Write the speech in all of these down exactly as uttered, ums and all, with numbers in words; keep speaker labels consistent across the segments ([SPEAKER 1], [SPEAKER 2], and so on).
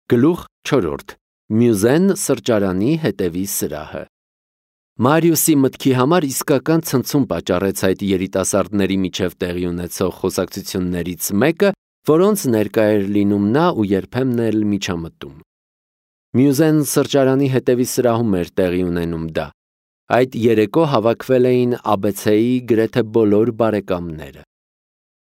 [SPEAKER 1] Գլուխ չորրորդ. Մյուզեն սրճարանի հետևի սրահը։ Մարիուսի մտքի համար իսկական ցնցում պատճառեց այդ երիտասարդների միջև տեղի ունեցող խոսակցություններից մեկը, որոնց ներկա էր լինում նա ու երբեմն էլ միջամտում։ Մյուզեն սրճարանի հետևի սրահում էր տեղի ունենում դա։ Այդ երեկո հավաքվել էին աբեցեի գրեթե բոլոր բարեկամները։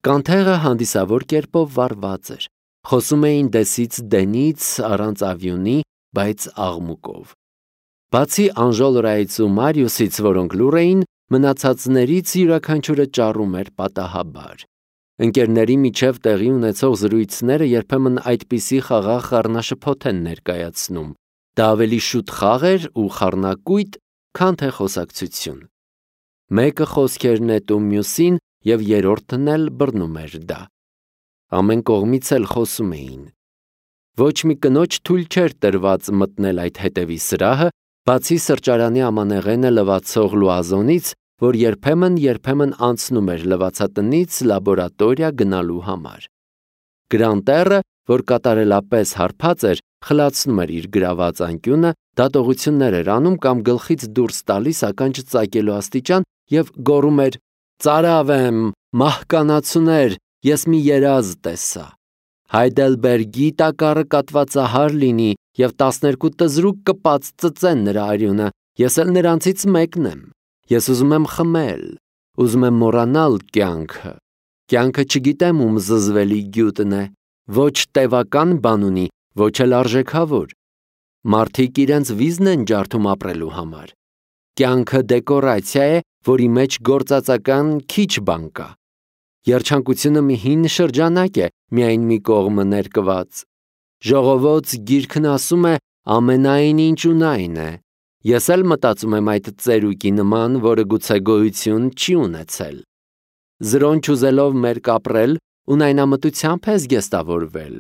[SPEAKER 1] Կանթեղը հանդիսավոր կերպով վառված էր։ Խոսում էին դեսից դենից, առանց ավյունի, բայց աղմուկով։ Բացի Անժոլորայից ու Մարիուսից, որոնք լուռ էին, մնացածներից յուրաքանչյուրը ճառում էր պատահաբար։ Ընկերների միջև տեղի ունեցող զրույցները երբեմն այդպիսի խաղաղ խառնաշփոթ են ներկայացնում։ Դա ավելի շուտ խաղ էր ու խառնակույտ, քան թե խոսակցություն։ Մեկը խոսքեր նետում մյուսին և երրորդն էլ բռնում էր դա։ Ամեն կողմից էլ խոսում էին։ Ոչ մի կնոջ թույլ չէր տրված մտնել այդ հետևի սրահը, բացի սրճարանի ամանեղենը լվացող լուազոնից, որ երբեմն-երբեմն անցնում էր լվացատնից լաբորատորիա գնալու համար։ Գրանտերը, որ կատարելապես հարբած էր, խլացնում էր իր գրաված անկյունը, դատողություններ էր անում կամ գլխից դուրս տալիս ականջ ծակելու աստիճան և գոռում էր. «Ծարավ եմ, մահկանացուներ, ես մի երազ տեսա։ Հայդելբերգի տակառը կատվածահար լինի և տասներկու տզրուկ կպած ծծեն նրա արյունը, ես էլ նրանցից մեկն եմ։ Ես ուզում եմ խմել, ուզում եմ մոռանալ կյանքը։ Կյանքը չգիտեմ ում զզվելի գյուտն է, ոչ տևական բան ունի, ոչ էլ արժեքավոր։ Մարդիկ իրենց վիզն են ջարդում ապրելու համար։ Կյանքը դեկորացիա է, որի մեջ գործածական քիչ բան կա։ Երջանկությունը մի հին շրջանակ է, միայն մի կողմը ներկված։ Ժողովոց գիրքն ասում է ամենայն ինչ ունայն է։ Ես էլ մտածում եմ այդ ծերուկի նման, որը գուցե գոյություն չի ունեցել։ Զրոնչ ուզելով մերկ ապրել, ունայնամտությամբ ես զգեստավորվել։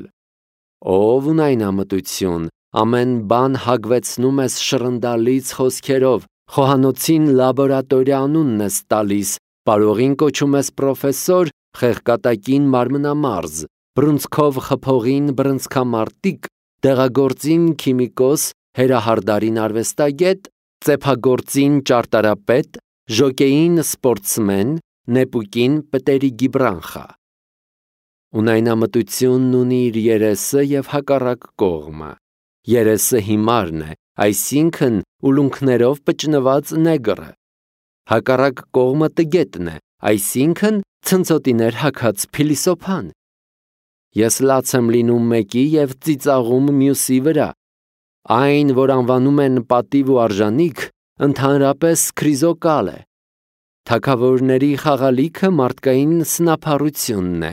[SPEAKER 1] Ով ունայնամտություն, ամեն բան հագվեցնում ես շռնդալից խոսքերով, խոհանոցին լաբորատորիա անունն ես տալիս, պարողին կոչում ես պրոֆեսոր, խեղկատակին մարմնամարզ, բռունցքով խփողին բռնցքամարտիկ, դեղագործին քիմիկոս, հերահարդարին արվեստագետ, ծեփագործին ճարտարապետ, ժոկեին սպորտսմեն, նեպուկին պտերիգի բրանխա։ Ունայնամտությունն ունի իր երեսը և հակառակ կողմը։ Երեսը հիմարն է, այսինքն ուլունքներով պճնված նեգրը։ Հակառակ կողմը տգետն է, այսինքն ցնցոտիներ հագած փիլիսոփան։ Ես լաց եմ լինում մեկի և ծիծաղում մյուսի վրա։ Այն, որ անվանում են պատիվ ու արժանիք, ընդհանրապես քրիզոկալ է։ Թագավորների խաղալիքը մարդկային սնափառությունն է։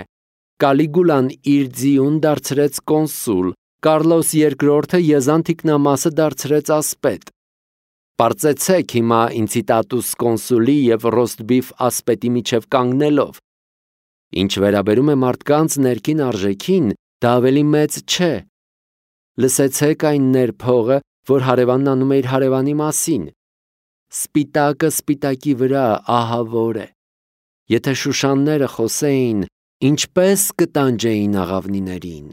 [SPEAKER 1] Կալիգուլան իր ձիուն դարձրեց կոնսուլ, Կարլոս երկրորդը եզան թիկնամասը դարձրեց ասպետ։ Պարծեցեք հիմա ինցիտատուս կոնսուլի և ռոստբիֆ ասպետի միջև կանգնելով։ Ինչ վերաբերում է մարդկանց ներքին արժեքին, դա ավելի մեծ չէ։ Լսեցեք այն ներփողը, որ հարևանն անում է իր հարևանի մասին։ Սպիտակը սպիտակի վրա ահավոր է։ Եթե շուշանները խոսեին, ինչպես կտանջեին աղավնիներին։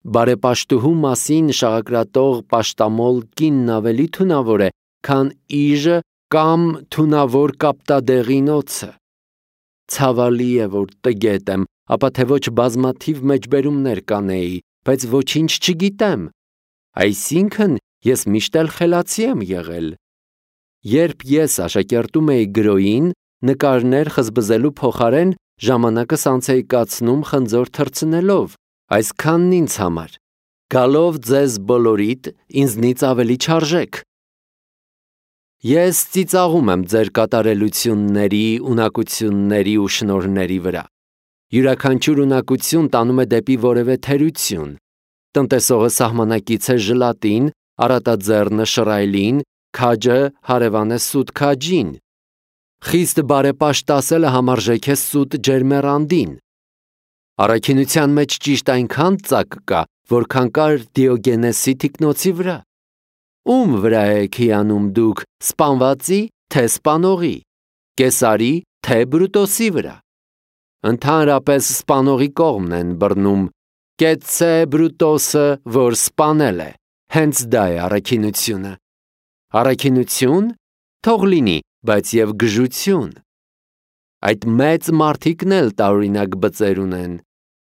[SPEAKER 1] Բարեպաշտուհու մասին շաղակրատող պաշտամոլ կինն ավելի թունավոր է, քան իժը կամ թունավոր կապտադեղին օձը։ Ցավալի է, որ տգետ եմ, ապա թե ոչ բազմաթիվ մեջբերումներ կանեի, բայց ոչինչ չգիտեմ։ Այսինքն ես միշտ էլ խելացի եմ եղել։ Երբ ես աշակերտում էի գրոյին, նկարներ խզբզելու փոխարեն ժամանակս անց էի կացնում խնձոր թռցնելով, այսքանն ինձ համար։ Գալով ձեզ բոլորիդ, ինձնից ավելի չարժեք։ Ես ծիծաղում եմ ձեր կատարելությունների, ունակությունների ու շնորհների վրա։ Յուրաքանչյուր ունակություն տանում է դեպի որևէ թերություն։ Տնտեսողը սահմանակից է ժլատին, առատաձեռնը շռայլին, քաջը հարևան է սուտ քաջին։ Խիստ բարեպաշտ ասելը համարժեք է սուտ ջերմեռանդին։ Առաքինության մեջ ճիշտ այնքան ծակ կա, որքան կար Դիոգենեսի թիկնոցի վրա։ Ում վրա եք հիանում դուք, սպանվածի, թե սպանողի, Կեսարի, թե Բրուտոսի վրա։ Ընդհանրապես սպանողի կողմն են բռնում, Կեցցե Բրուտոսը, որ սպանել է, հենց դա է առաքինությունը։ Առաքինություն թող լինի, բայց եւ գժություն։ Այդ մեծ մարդիկն էլ տարօրինակ բծեր ունեն։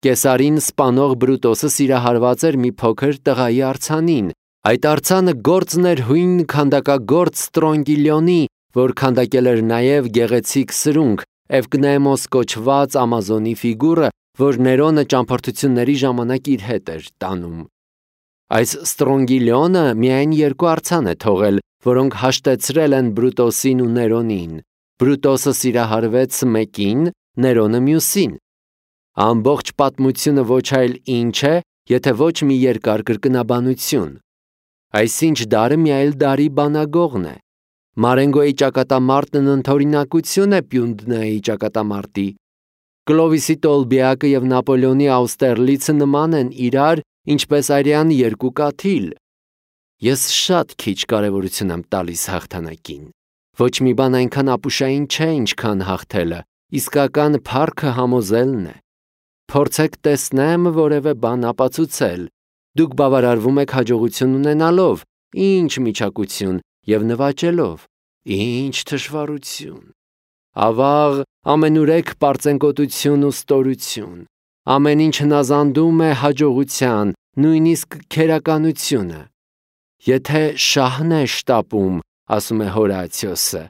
[SPEAKER 1] Կեսարին սպանող Բրուտոսը սիրահարված էր մի փոքր տղայի արձանին։ Այդ արձանը գործն էր հույն քանդակագործ Ստրոնգիլյոնի, որ քանդակել էր նաև գեղեցիկ սրունք, Էվկնեմոս կոչված Ամազոնի ֆիգուրը, որ Ներոնը ճամփորդությունների ժամանակ իր հետ էր տանում։ Այս Ստրոնգիլյոնը միայն երկու արձան է թողել, որոնք հաշտեցրել են Բրուտոսին ու Ներոնին։ Բրուտոսը սիրահարվեց մեկին, Ներոնը մյուսին։ Ամբողջ պատմությունը ոչ այլ ինչ է, եթե ոչ մի երկար կրկնաբանություն։ Այսինչ դարը մի այլ դարի բանագողն է։ Մարենգոյի ճակատամարտն ընդօրինակություն է Պյունդնայի ճակատամարտի։ Կլովիսի Տոլբիակը եւ Նապոլեոնի Աուստերլիցը նման են իրար, ինչպես արյան երկու կաթիլ։ Ես շատ քիչ կարևորություն եմ տալիս հաղթանակին։ Ոչ մի բան այնքան ապուշային չէ, ինչքան հաղթելը, իսկական փառքը համոզելն է։ Փորձեք տեսնեմ որևէ բան ապացուցել։ Դուք բավարարվում եք հաջողություն ունենալով, ինչ միջակություն եւ նվաճելով, ինչ թշվառություն։ Ավաղ ամենուրեք պարծենկոտություն ու ստորություն։ Ամեն ինչ հնազանդում է հաջողության, նույնիսկ քերականությունը։ Եթե շահն է շտապում, ասում է Հորացիոսը,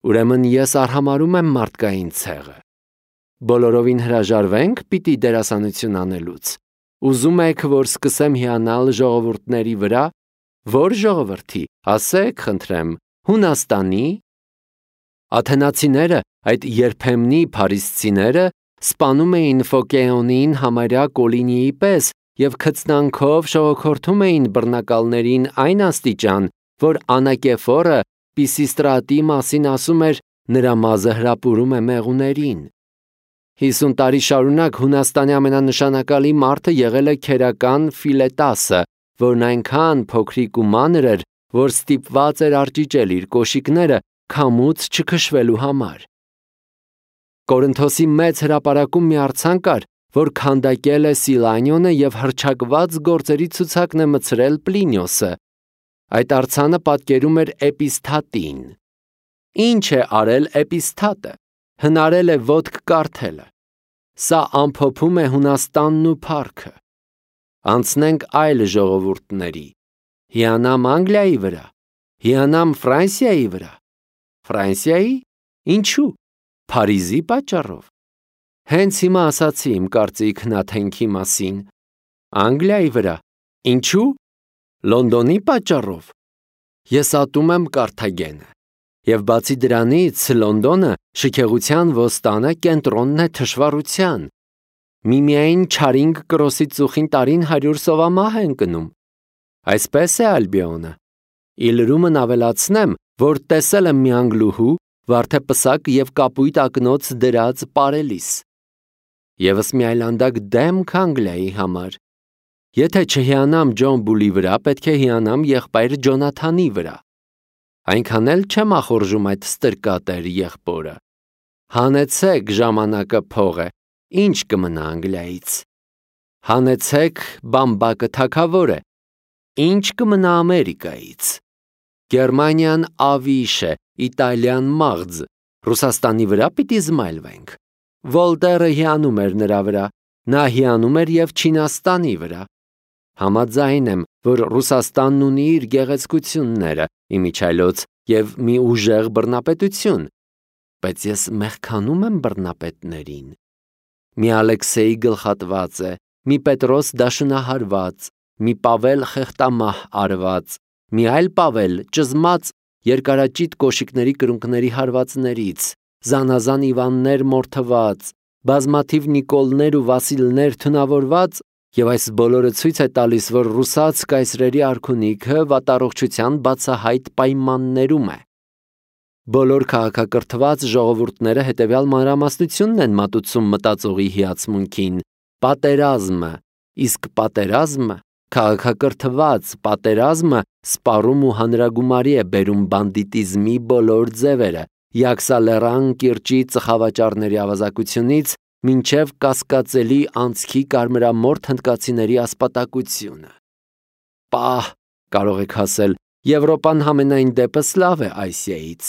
[SPEAKER 1] ուրեմն ես արհամարհում եմ մարդկային ցեղը։ Բոլորովին հրաժարվենք պիտի դերասանություն անելուց։ Ուզում եք, որ սկսեմ հիանալ ժողովուրդների վրա, որ ժողովրդի, ասեք, խնդրեմ, Հունաստանի։ Աթենացիները, այդ երբեմնի փարիսցիները, սպանում էին Ֆոկեոնին համարյա Կոլինիի պես եւ քծնանքով շողոքորթում էին բռնակալներին այն աստիճան, որ Անակեֆորը Պիսիստրատի մասին ասում էր, նրա մազը հրապուրում է մեղուներին։ Հիսուն տարի շարունակ Հունաստանի ամենանշանակալի մարդը եղել է քերական Ֆիլետասը, որն այնքան փոքրիկ ու մանր էր, որ ստիպված էր արճիճել իր կոշիկները քամուց չքշվելու համար։ Կորինթոսի մեծ հրապարակում մի արձան կար, որ քանդակել է Սիլանյոնը եւ հռչակված գործերի ցուցակն է մցրել Պլինիոսը։ Այդ արձանը պատկերում էր Էպիսթատին։ Ինչ է արել Էպիսթատը։ Հնարել է ոտք կարդելը։ Սա ամփոփում է Հունաստանն ու փառքը։ Անցնենք այլ ժողովուրդների։ Հիանամ Անգլիայի վրա, հիանամ Ֆրանսիայի վրա։ Ֆրանսիայի? Ինչու? Փարիզի պատճառով։ Հենց հիմա ասացի իմ կարծիքն Աթենքի մասին։ Անգլիայի վրա։ Ինչու? Լոնդոնի պատճառով։ Ես ատում եմ Կարթագենը։ Եվ բացի դրանից Լոնդոնը շքեղության ոստանը կենտրոնն է թշվառության։ Միմիայն Չարինգ կրոսի ծուխին տարին հարյուր սովամահ են կնում։ Այսպես է Ալբիոնը։ Իլրումն ավելացնեմ, որ տեսել եմ մի անգլուհու, վարդեպսակ եւ կապույտ ակնոց դրած պարելիս։ Եվս մի այլանդակ դեմք Անգլիայի համար։ Եթե չհիանամ Ջոն Բուլի վրա, պետք է հիանամ եղբայր Ջոնաթանի վրա։ Այնքան էլ չեմ ախորժում այդ ստրկատեր եղբորը։ Հանեցեք ժամանակը փողը, ինչ կմնա Անգլիայից։ Հանեցեք բամբակը թագավոր է, ինչ կմնա Ամերիկայից։ Գերմանիան ավիշ է, Իտալիան մաղձ, Ռուսաստանի վրա պիտի զմայլվենք։ Վոլտերը հիանում էր նրա վրա, նա հիանում էր եւ Չինաստանի վրա։ Համաձայն եմ, որ Ռուսաստանն ունի իր գեղեցկությունները, իմիջայլոց եւ մի ուժեղ բռնապետություն, բայց ես մեղքանում եմ բռնապետներին։ Մի Ալեքսեյ գլխատված է, մի Պետրոս դաշնահարված, մի Պավել խեղտամահ արված, մի այլ Պավել ճզմած երկարաճիտ կոշիկների կրունկների հարվածներից, զանազան Իվաններ մորթված, բազմաթիվ Նիկոլներ ու Վասիլներ թունավորված, եւ այս բոլորը ցույց է տալիս, որ ռուսաց կայսրերի արքունիքը վատառողջության բացահայտ պայմաններում է։ Բոլոր քաղաքակրթված ժողովուրդները հետևյալ մանրամասնությունն են մատուցում մտածողի հիացմունքին՝ պատերազմը, իսկ պատերազմը, քաղաքակրթված պատերազմը սպառում ու հանրագումարի է բերում բանդիտիզմի բոլոր ձևերը, Յաքսալերան կիրճի ծխավաճառների ավազակությունից մինչև կասկածելի անցքի կարմրամորթ հնդկացիների ասպատակությունը։ Պահ, կարող եք ասել, Եվրոպան համենայն դեպս լավ է Ասիայից։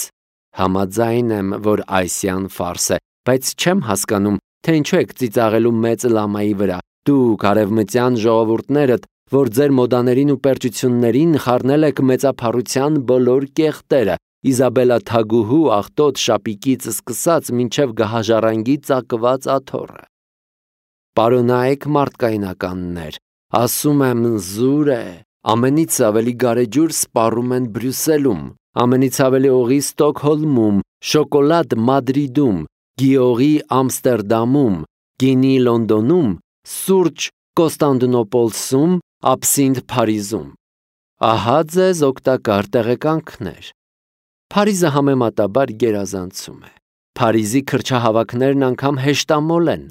[SPEAKER 1] Համաձայն եմ, որ Ասիան ֆարս է, բայց չեմ հասկանում, թե ինչու եք ծիծաղելու մեծ լամայի վրա։ Դուք արևմտյան ժողովուրդներդ, որ ձեր մոդաներին ու պերճություններին խառնել եք մեծափառության բոլոր կեղտերը, Իզաբելա Թագուհու աղտոտ շապիկից սկսած մինչև գահաժառանգի ծակված աթոռը։ Պարոնայք մարդկայնականներ, ասում եմ զուր է, ամենից ավելի գարեջուր սպառում են Բրյուսելում, ամենից ավելի օղի Ստոկհոլմում, շոկոլադ Մադրիդում, գիողի Ամստերդամում, գինի Լոնդոնում, սուրճ Կոստանդնուպոլսում, աբսինթ Փարիզում։ Ահա ձեզ օգտակար տեղեկանքներ։ Փարիզը համեմատաբար գերազանցում է։ Փարիզի քրչահավաքներն անգամ հեշտամոլ են։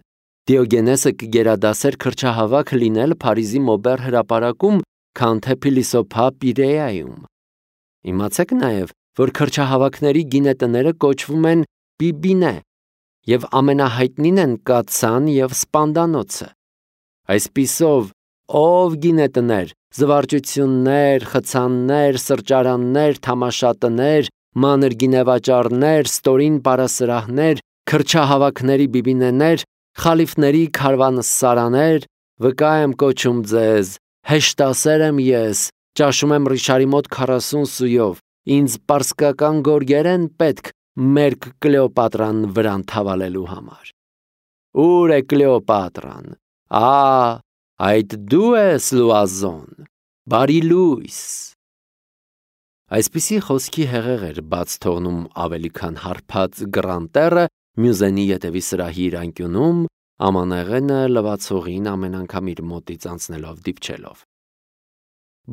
[SPEAKER 1] Դիոգենեսը կգերադասեր քրչահավաք լինել Փարիզի Մոբեր հրապարակում, քան թե Փիլիսոփա Պիրեայում։ Իմացեք նաև, որ քրչահավաքների գինետները կոչվում են Պիբինե, եւ ամենահայտնին են Կացան եւ Սպանդանոցը։ Այսպիսով, ով գինետներ, զվարճություններ, խցաններ, սրճարաններ, թամաշատներ, մանր գինեվաճառներ, ստորին պարասրահներ, քրչահավաքների բիբինեներ, խալիֆների քարվանսարաներ, վկա եմ կոչում ձեզ, հեշտասեր եմ ես, ճաշում եմ Ռիշարի մոտ քառասուն սույով, ինձ պարսկական գորգեր են պետք մերկ Կլեոպատրան վրան թավալելու համար։ Ուր է Կլեոպատրան։ Ա, այդ դու ես Լուազոն, բարի լույս։ Այսպիսի խոսքի հեղեղ էր բաց թողնում ավելի քան հարբած Գրանտերը Մյուզենի ետևի սրահի իր անկյունում, ամանեղենը լվացողին ամեն անգամ իր մոտից անցնելով դիպչելով։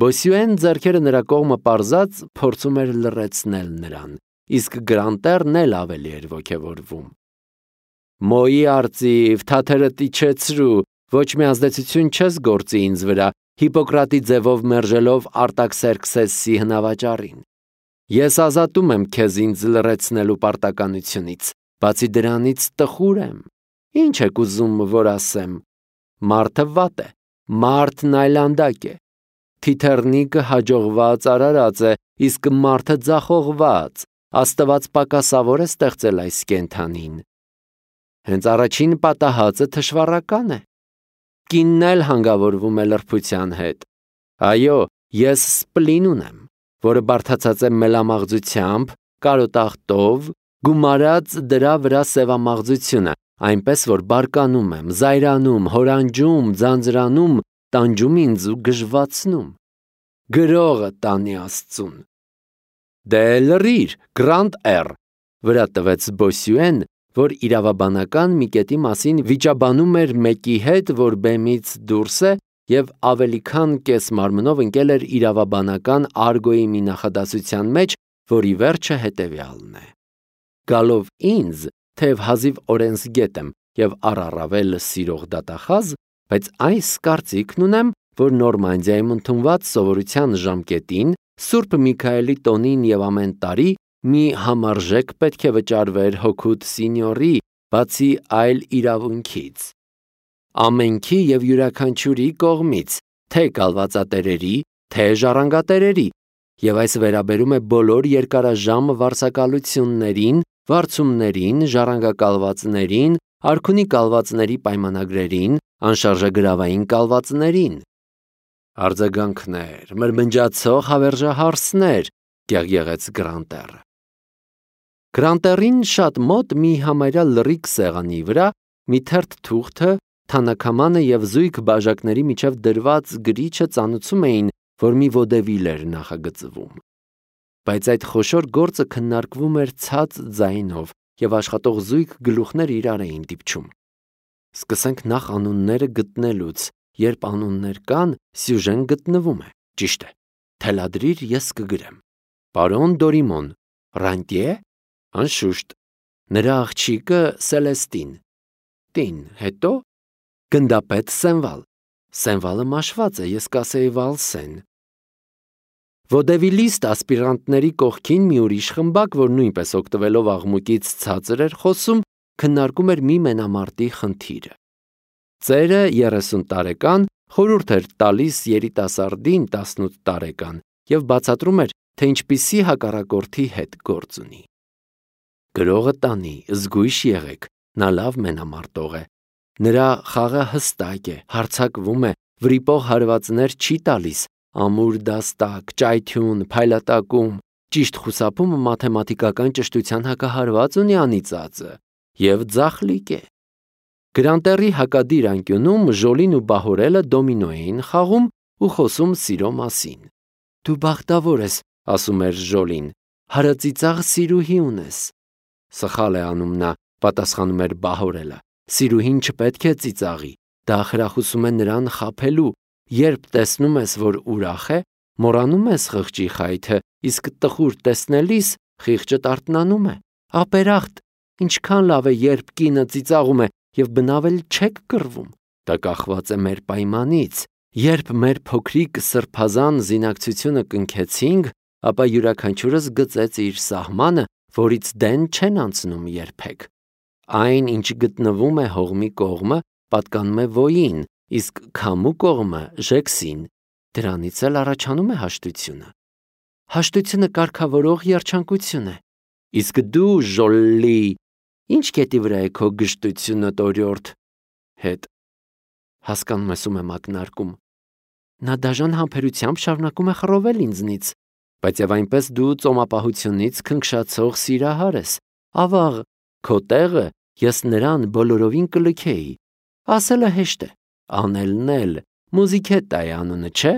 [SPEAKER 1] Բոսյուեն ձեռքերը նրա կողմը պարզած փորձում էր լռեցնել նրան, իսկ Գրանտերն էլ ավելի էր ոգևորվում։ Մոյի արծիվ, թաթերդ իջեցրու, ոչ մի ազդեցություն չես գործի ինձ վրա, Հիպոկրատի ձևով մերժելով Արտաքսերքսեսի հնավաճառին։ Ես ազատում եմ քեզ ինձ լռեցնելու պարտականությունից, բացի դրանից տխուր եմ։ Ինչ եք ուզում, որ ասեմ։ Մարդը վատ է, մարդն այլանդակ է։ Թիթեռնիկը հաջողված արարած է, իսկ մարդը ձախողված, Աստված պակասավոր է ստեղծել այս կենդանին։ Հենց առաջին պատահածը թշվառական է։ Կինն էլ հանգավորվում է լրբության հետ։ Այո, ես սպլին ունեմ, որը բարդացած է մելամաղձությամբ, կարոտախտով, գումարած դրա վրա սևամաղձությունը, այնպես որ բարկանում եմ, զայրանում, հորանջում, ձանձրանում, տանջում ինձ ու գժվացնում։ Գրողը տանի Աստծուն։ Դե լրիր, Գրանտ Էր, վրա տվեց Բոսյուեն, որ իրավաբանական մի կետի մասին վիճաբանում էր մեկի հետ, որ բեմից դուրս է և ավելի քան կես մարմնով ընկել էր իրավաբանական արգոյի մի նախադասության մեջ, որի վերջը հետևյալն է. Գալով ինձ, թեև հազիվ օրենսգետ եմ և առառավել սիրող դատախազ, բայց այս կարծիքն ունեմ, որ Նորմանդիայում ընդունված սովորության ժամկետին, Սուրբ Միքայելի տոնին և ամեն տարի մի համարժեք պետք է վճարվեր հոգուտ սինյորի, բացի այլ իրավունքից։ Ամենքի և յուրաքանչյուրի կողմից, թե կալվածատերերի, թե ժառանգատերերի, և այս վերաբերում է բոլոր երկարաժամ վարձակալություններին, վարձումներին, ժառանգակալվածներին, արքունի կալվածների պայմանագրերին, անշարժագրավային կալվածներին։ Արձագանքներ, մրմնջացող հավերժահարսներ, գեղգեղեց Գրանտերը։ Գրանտերին շատ մոտ մի համարյա լրիկ սեղանի վրա մի թերթ թուղթը, թանաքամանը և զույգ բաժակների միջև դրված գրիչը ծանուցում էին, որ մի ոդևիլ էր նախագծվում։ Բայց այդ խոշոր գործը քննարկվում էր ցած ձայնով և աշխատող զույգ գլուխներ իրար էին դիպչում։ Սկսենք նախ անունները գտնելուց, երբ անուններ կան, սյուժեն գտնվում է, ճիշտ է, թելադրիր ես կգրեմ։ Պարոն Դորիմոն, Ռանտիե, անշուշտ, նրա աղջիկը Սելեստին, տին, հետո գնդապետ Սենվալ, Սենվալը մաշված է, ես կասեի Վալսեն։ Ոդևիլիստ ասպիրանտների կողքին մի ուրիշ խմբակ, որ նույնպես օգտվելով աղմուկից ցածր էր խոսում, քննարկում էր մի մենամարտի խնդիրը։ Ծերը երեսուն տարեկան խորհուրդ էր տալիս երիտասարդին տասնութ տարեկան և բացատրում էր, թե ինչպիսի հակառակորդի հետ գործ ունի։ Գրողը տանի, զգույշ եղեք, նա լավ մենամարտող է։ Նրա խաղը հստակ է, հարձակվում է, վրիպող հարվածներ չի տալիս, ամուր դաստակ, ճայթյուն, փայլատակում, ճիշտ խուսափումը մաթեմատիկական ճշտության հակահարված ունի անիծածը և ձախլիկ է։ Գրանտերի հակադիր անկյունում Ժոլին ու Բահորելը դոմինո էին խաղում ու խոսում սիրո մասին։ Դու բախտավոր ես, ասում էր Ժոլին, հարածիծաղ սիրուհի ունես։ Սխալ է անում նա, պատասխանում էր Բահորելը, սիրուհին չպետք է ծիծաղի, դա խրախուսում է նրան խաբելու, երբ տեսնում ես, որ ուրախ է, մոռանում ես խղճի խայթը, իսկ տխուր տեսնելիս խիղճը արթնանում է։ Ապերախտ, ինչքան լավ է, երբ կինը ծիծաղում է և բնավ էլ չեք կռվում։ Դա կախված է մեր պայմանից։ Երբ մեր փոքրիկ սրբազան զինակցությունը կնքեցինք, ապա յուրաքանչյուրս գծեց իր սահմանը, որից դեն չեն անցնում երբեք։ Այն, ինչ գտնվում է հողմի կողմը, պատկանում է ոյին, իսկ քամու կողմը ժեքսին։ Դրանից էլ առաջանում է հաշտությունը։ Հաշտությունը կարգավորող երջանկություն է։ Իսկ դու, Ժոլլի, ինչ կետի վրա է քո գժտությունը տորյորթ հետ։ Հասկանում ես ում եմ ակնարկում։ Նա դաժան համբերությամբ շարունակում է խռովել ինձնից, բայց եւ այնպես դու ծոմապահությունից քնքշացող սիրահար ես։ Ավաղ, քո տեղը ես նրան բոլորովին կլքեի։ Ասելը հեշտ է, անելն էլ, Մուզիկետտա է անունը, չէ՞։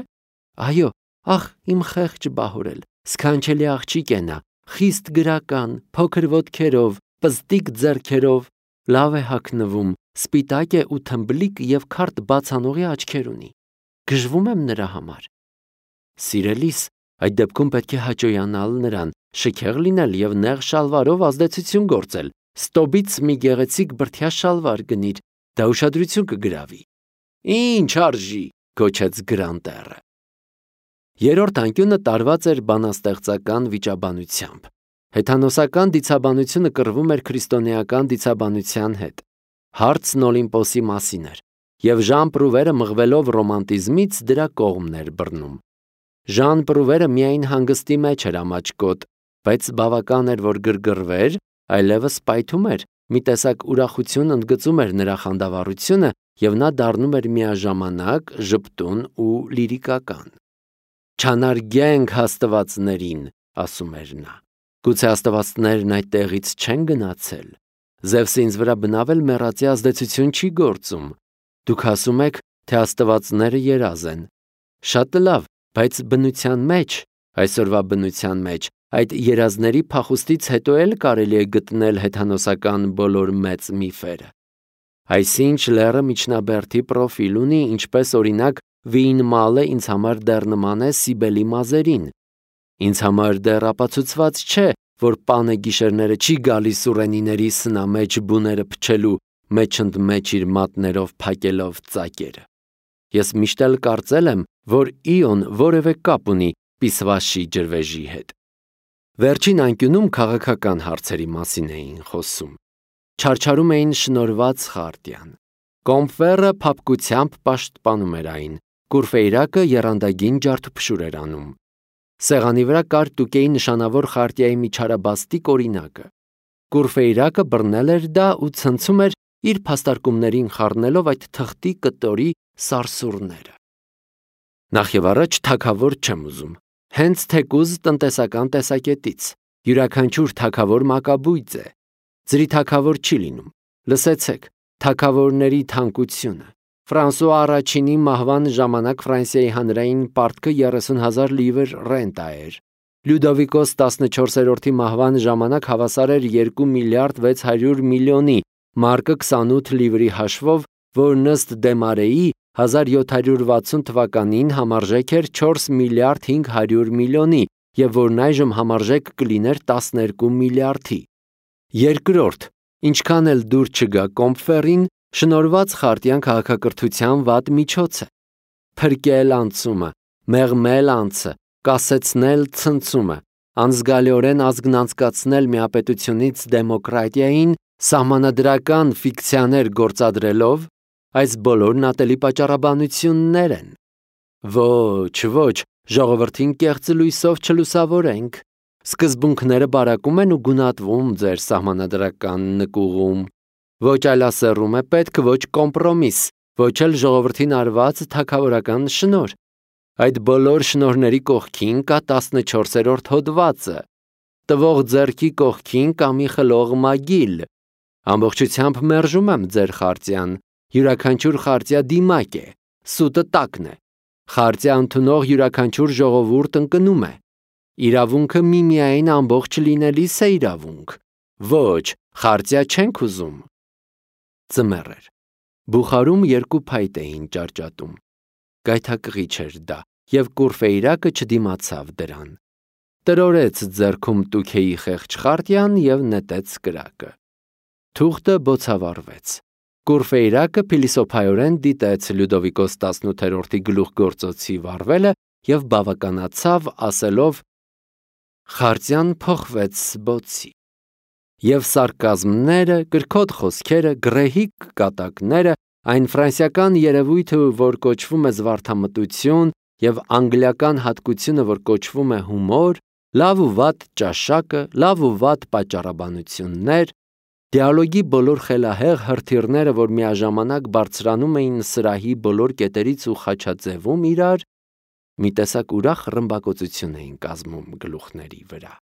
[SPEAKER 1] Այո, ախ, իմ խեղճ Բահորել, սքանչելի աղջիկ է նա, խիստ գրական, փոքր ոտքերով, պզտիկ ձեռքերով, լավ է հագնվում, սպիտակ է ու թմբլիկ և քարտ բացանողի աչքեր ունի։ Գժվում եմ նրա համար։ Սիրելիս, այդ դեպքում պետք է հաճոյանալ նրան, շքեղ լինել և նեղ շալվարով ազդեցություն գործել, ստոբից մի գեղեցիկ բրդյա շալվար գնիր, դա ուշադրություն կգրավի։ Ինչ արժի, գոչեց Գրանտերը։ Երրորդ անկյունը տարված էր բանաստեղծական վիճաբանությամբ։ Հեթանոսական դիցաբանությունը կռվում էր քրիստոնեական դիցաբանության հետ։ Հարցն Օլիմպոսի մասին էր, և Ժան Պրուվերը մղվելով ռոմանտիզմից դրա կողմն էր բռնում։ Ժան Պրուվերը միայն հանգստի մեջ էր ամաչկոտ, բայց բավական էր, որ գրգռվեր, այլևս պայթում էր, մի տեսակ ուրախություն ընդգծում էր նրա խանդավառությունը, և նա դառնում էր միաժամանակ ժպտուն ու լիրիկական։ Չանարգենք հաստվածներին, ասում էր նա։ Գուցե աստվածներն այդ տեղից չեն գնացել։ Զևսը ինձ վրա բնավ էլ մեռածի ազդեցություն չի գործում։ Դուք ասում եք, թե աստվածները երազ են։ Շատ լավ, բայց բնության մեջ, այսօրվա բնության մեջ, այդ երազների փախուստից հետո էլ կարելի է գտնել հեթանոսական բոլոր մեծ միֆերը։ Այսինչ լեռը միջնաբերդի պրոֆիլ ունի, ինչպես օրինակ Վին մալը ինձ համար դեռ նման է Սիբելի մազերին։ Ինձ համար դեռ ապացուցված չէ, որ պանը գիշերները չի գալիս Սուրենիների սնամեջ բուները փչելու, մեջընդմեջ իր մատներով փակելով ծակերը։ Ես միշտ էլ կարծել եմ, որ Իոն որևէ կապ ունի Պիսվաշի ջրվեժի հետ։ Վերջին անկյունում քաղաքական հարցերի մասին էին խոսում։ Չարչարում էին շնորհված խարտիան։ Կոմֆերը փափկությամբ պաշտպանում էր այն, Կուրֆեյրակը եռանդագին ջարդուփշուր էր անում։ Սեղանի վրա կար Տուկեի նշանավոր խարտիայի միջարաբաստիկ օրինակը։ Կուրֆեյրակը բռնել էր դա ու ցնցում էր իր փաստարկումներին խառնելով այդ թղթի կտորի սարսուռները։ Նախ եւ առաջ թագավոր չեմ ուզում, հենց թեկուզ տնտեսական տեսակետից։ Յուրաքանչյուր թագավոր մակաբույծ է։ Ձրի թագավոր չի լինում։ Լսեցեք, թագավորների թանկությունը։ Ֆրանսուଆ առաջինի մահվան ժամանակ Ֆրանսիայի հանրային պարտքը երեսուն հազար լիվր ռենտա էր։ Լյուդովիկոս տասնչորսերորդի մահվան ժամանակ հավասար էր երկու միլիարդ վեց հարյուր միլիոնի, մարկը քսանութ լիվրի հաշվով, որ ըստ Դեմարեի հազար յոթ հարյուր վաթսուն թվականին համարժեք էր չորս միլիարդ հինգ հարյուր միլիոնի և որն այժմ համարժեք կլիներ տասներկու միլիարդի։ Երկրորդ, ինչքան էլ դուր չգա Կոմֆերին, շնորհված խարտիան քաղաքակրթության վատ միջոց է։ Փրկել անցումը, մեղմել անցը, կասեցնել ցնցումը, անզգալիորեն ազգն անցկացնել միապետությունից դեմոկրատիային, Սահմանադրական ֆիկցիաներ գործադրելով այս բոլորն ատելի պատճառաբանություններ են։ Ոչ, ոչ, ժողովրդին կեղծ լույսով չլուսավորենք։ Սկզբունքները բարակում են ու գունատվում ձեր սահմանադրական նկուղում։ Ոչ այլասեռում է պետք, ոչ կոմպրոմիս, ոչ էլ ժողովրդին արված թագավորական շնորհ։ Այդ բոլոր շնորհների կողքին կա տասնչորսերորդ հոդվածը։ Տվող ձեռքի կողքին կա մի խլող մագիլ։ Ամբողջությամբ մերժում եմ ձեր խարտիան։ Յուրաքանչյուր խարտիա դիմակ է, սուտը տակն է։ Խարտիա ընդունող յուրաքանչյուր ժողովուրդ ընկնում է։ Իրավունքը միմիայն ամբողջ լինելիս է իրավունք։ Ոչ, խարտիա չենք ուզում։ Ձմեռ էր։ Բուխարում երկու փայտ էին ճարճատում։ Գայթակղիչ էր դա, եւ Կուրֆեյրակը չդիմացավ դրան։ Տրորեց ձեռքում տուքեի խեղճ խարտիան եւ նետեց կրակը։ Թուղթը բոցավառվեց։ Կուրֆեյրակը փիլիսոփայորեն դիտեց Լյուդովիկոս տասնութերորդի գլուխգործոցի վառվելը եւ բավականացավ, ասելով. «Խարտիան փոխվեց բոցի»։ Եվ սարկազմները, կրքոտ խոսքերը, գռեհիկ կատակները, այն ֆրանսիական երևույթը, որ կոչվում է զվարթամտություն, եւ անգլիական հատկությունը, որ կոչվում է հումոր, լավ ու վատ ճաշակը, լավ ու վատ պատճառաբանություններ, դիալոգի բոլոր խելահեղ հրթիռները, որ միաժամանակ բարձրանում էին սրահի բոլոր կետերից ու խաչաձևում իրար, մի տեսակ ուրախ ռմբակոծություն էին կազմում գլուխների վրա։